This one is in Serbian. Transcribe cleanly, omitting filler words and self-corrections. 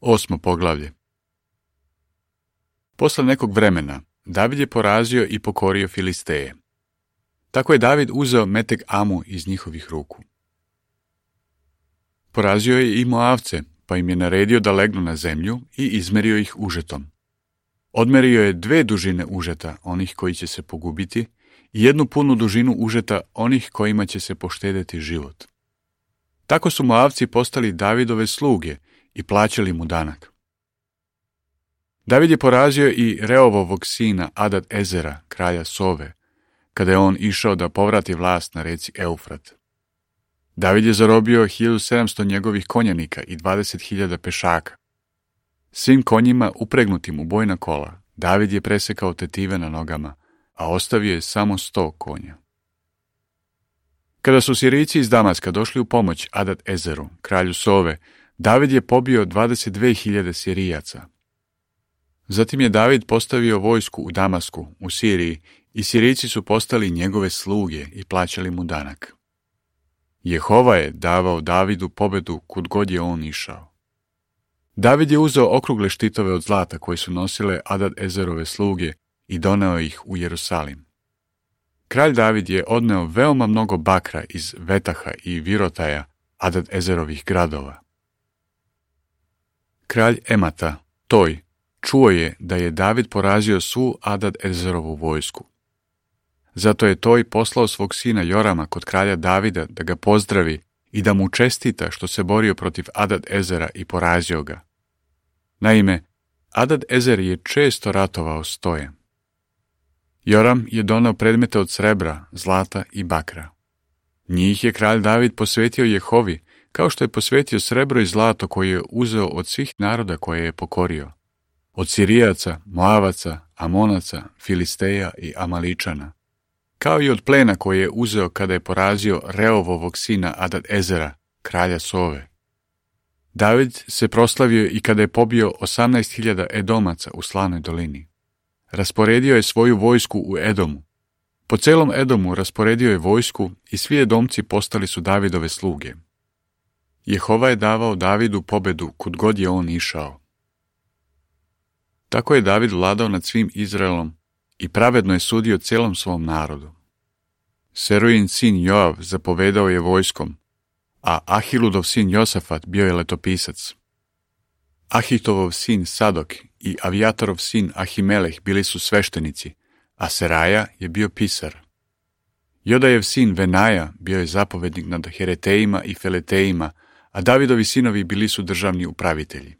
8. poglavlje. Posle nekog vremena, David je porazio i pokorio Filisteje. Tako je David uzeo Meteg Amu iz njihovih ruku. Porazio je i Moavce, pa im je naredio da legnu na zemlju i izmerio ih užetom. Odmerio je 2 dužine užeta, onih koji će se pogubiti, i 1 punu dužinu užeta, onih kojima će se poštedeti život. Tako su Moavci postali Davidove sluge i plaćali mu danak. David je porazio i Reovovog sina Adad Ezera, kralja Sove, kada je on išao da povrati vlast na reci Eufrat. David je zarobio 1700 njegovih konjanika i 20.000 pešaka. Svim konjima upregnutim u bojna kola, David je presekao tetive na nogama, a ostavio je samo 100 konja. Kada su Sirijci iz Damaska došli u pomoć Adad Ezeru, kralju Sove, David je pobio 22.000 Sirijaca. Zatim je David postavio vojsku u Damasku, u Siriji, i Sirijci su postali njegove sluge i plaćali mu danak. Jehova je davao Davidu pobedu kud god je on išao. David je uzeo okrugle štitove od zlata koje su nosile Adad Ezerove sluge i doneo ih u Jerusalim. Kralj David je odneo veoma mnogo bakra iz Vetaha i Virotaja, Adad Ezerovih gradova. Kralj Emata, Toj, čuo je da je David porazio svu Adad Ezerovu vojsku. Zato je Toj poslao svog sina Jorama kod kralja Davida da ga pozdravi i da mu čestita što se borio protiv Adad Ezera i porazio ga. Naime, Adad Ezer je često ratovao s Tojem. Joram je doneo predmete od srebra, zlata i bakra. Njih je kralj David posvetio Jehovi, kao što je posvetio srebro i zlato koje je uzeo od svih naroda koje je pokorio. Od Sirijaca, Moavaca, Amonaca, Filisteja i Amaličana. Kao i od plena koje je uzeo kada je porazio Reovovog sina Adad Ezera, kralja Sove. David se proslavio i kada je pobio 18.000 Edomaca u Slanoj dolini. Rasporedio je svoju vojsku u Edomu. Po celom Edomu rasporedio je vojsku i svi Edomci postali su Davidove sluge. Jehova je davao Davidu pobedu kud god je on išao. Tako je David vladao nad svim Izraelom i pravedno je sudio celom svom narodu. Serujin sin Joav zapovedao je vojskom, a Ahiludov sin Josafat bio je letopisac. Ahitovov sin Sadok i Avijatarov sin Ahimeleh bili su sveštenici, a Seraja je bio pisar. Jodajev sin Venaja bio je zapovednik nad Heretejima i Feletejima, a Davidovi sinovi bili su državni upravitelji.